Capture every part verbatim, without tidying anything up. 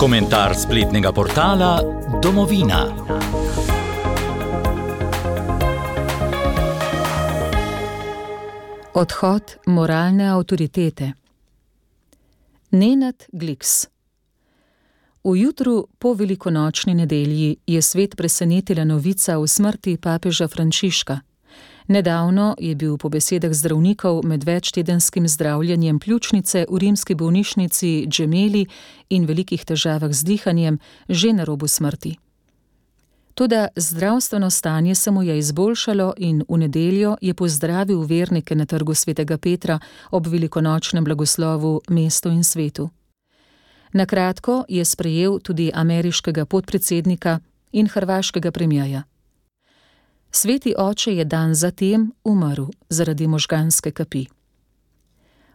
Komentar spletnega portala Domovina. Odhod moralne avtoritete. Nenad Gliks. V jutru po velikonočni nedelji je svet presenetila novica o smrti papeža Frančiška. Nedavno je bil po besedah zdravnikov med večtedenskim zdravljenjem pljučnice v rimski bolnišnici Gemelli in velikih težavah z dihanjem že na robu smrti. Toda zdravstveno stanje se mu je izboljšalo in v nedeljo je pozdravil vernike na trgu svetega Petra ob velikonočnem blagoslovu mestu in svetu. Na kratko je sprejel tudi ameriškega podpredsednika in hrvaškega premierja. Sveti oče je dan zatem umrl zaradi možganske kapi.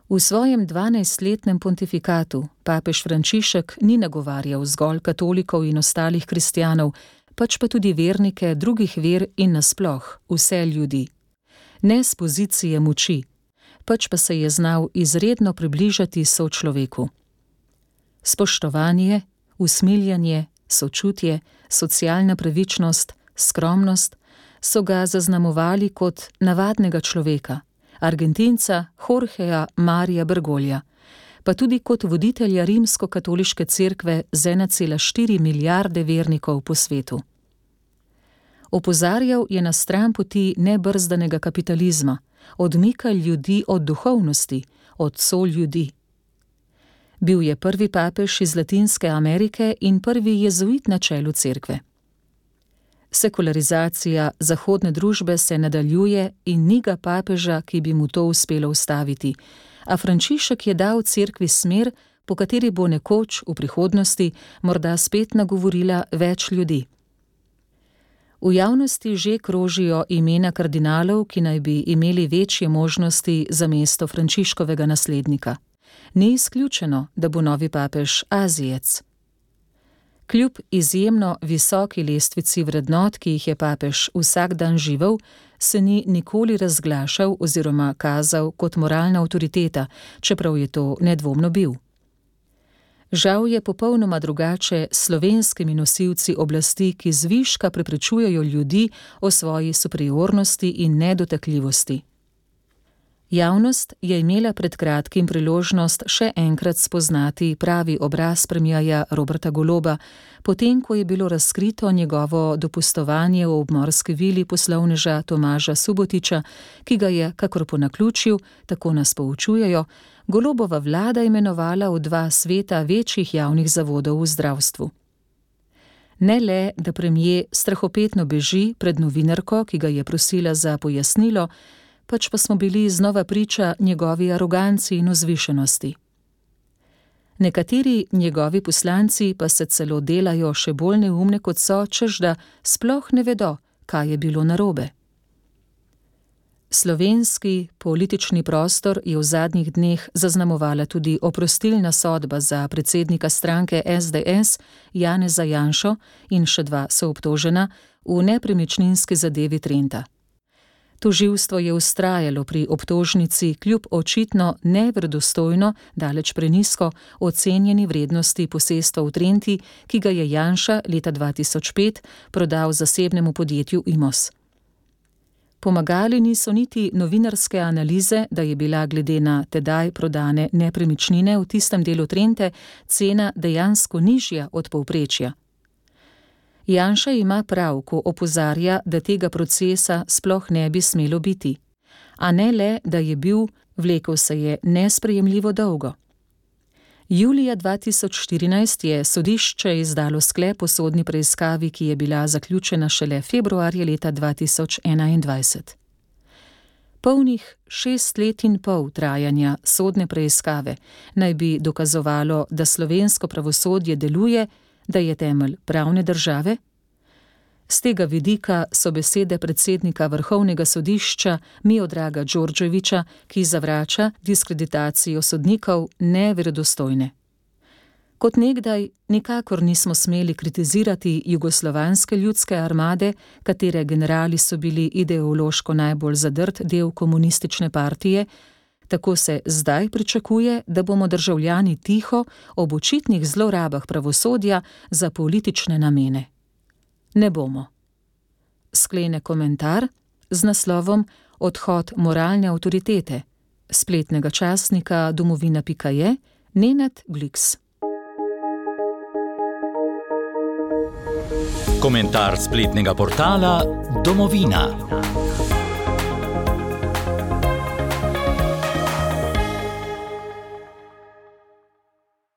V svojem dvanajstletnem pontifikatu papež Frančišek ni nagovarjal zgolj katolikov in ostalih kristjanov, pač pa tudi vernike drugih ver in nasploh vse ljudi. Ne s pozicije moči, pač pa se je znal izredno približati sočloveku. Spoštovanje, usmiljanje, sočutje, socialna pravičnost, skromnost so ga zaznamovali kot navadnega človeka, Argentinca Jorgeja Marija Bergoglia, pa tudi kot voditelja rimsko-katoliške cerkve z ena cela štiri milijarde vernikov po svetu. Opozarjal je na stran poti nebrzdanega kapitalizma, odmika ljudi od duhovnosti, od soljudi. Bil je prvi papež iz Latinske Amerike in prvi jezuit na čelu cerkve. Sekularizacija zahodne družbe se nadaljuje in ni ga papeža, ki bi mu to uspelo ustaviti, a Frančišek je dal cerkvi smer, po kateri bo nekoč v prihodnosti morda spet nagovorila več ljudi. V javnosti že krožijo imena kardinalov, ki naj bi imeli večje možnosti za mesto Frančiškovega naslednika. Ni izključeno, da bo novi papež Azijec. Kljub izjemno visoki lestvici vrednot, ki jih je papež vsak dan živel, se ni nikoli razglašal oziroma kazal kot moralna avtoriteta, čeprav je to nedvomno bil. Žal je popolnoma drugače s slovenskimi nosilci oblasti, ki zviška prepričujejo ljudi o svoji superiornosti in nedotakljivosti. Javnost je imela pred kratkim priložnost še enkrat spoznati pravi obraz premierja Roberta Goloba, potem ko je bilo razkrito njegovo dopustovanje v obmorski vili poslovneža Tomaža Subotiča, ki ga je, kakor po naključju, tako nas poučujejo, Golobova vlada imenovala v dva sveta večjih javnih zavodov v zdravstvu. Ne le, da premier strahopetno beži pred novinarko, ki ga je prosila za pojasnilo, pač pa smo bili znova priča njegovi aroganci in vzvišenosti. Nekateri njegovi poslanci pa se celo delajo še bolj neumne kot so, češ da sploh ne vedo, kaj je bilo narobe. Slovenski politični prostor je v zadnjih dneh zaznamovala tudi oprostilna sodba za predsednika stranke es de es Janeza Janšo in še dva soobtožena v nepremičninski zadevi Trenta. Tožilstvo je vztrajalo pri obtožnici kljub očitno neverodostojno, daleč prenizko ocenjeni vrednosti posestva v Trenti, ki ga je Janša leta dva tisoč pet prodal zasebnemu podjetju Imos. Pomagali niso niti novinarske analize, da je bila glede na tedaj prodane nepremičnine v tistem delu Trente cena dejansko nižja od povprečja. Janša ima prav, ko opozarja, da tega procesa sploh ne bi smelo biti. A ne le, da je bil, vlekel se je nesprejemljivo dolgo. Julija dva tisoč štirinajst je sodišče izdalo sklep o sodni preiskavi, ki je bila zaključena šele februarja leta dva tisoč enaindvajset. Polnih šest let in pol trajanja sodne preiskave naj bi dokazovalo, da slovensko pravosodje deluje, da je temelj pravne države? Z tega vidika so besede predsednika Vrhovnega sodišča Miodraga Đorđevića, ki zavrača diskreditacijo sodnikov, neverodostojne. Kot nekdaj nikakor nismo smeli kritizirati jugoslovanske ljudske armade, katere generali so bili ideološko najbolj zadrt del komunistične partije, Tako se zdaj pričakuje, da bomo državljani tiho ob očitnih zlorabah pravosodja za politične namene. Ne bomo. Sklene komentar z naslovom Odhod moralne avtoritete spletnega časnika domovina pika je Nenad Bliks. Komentar spletnega portala Domovina.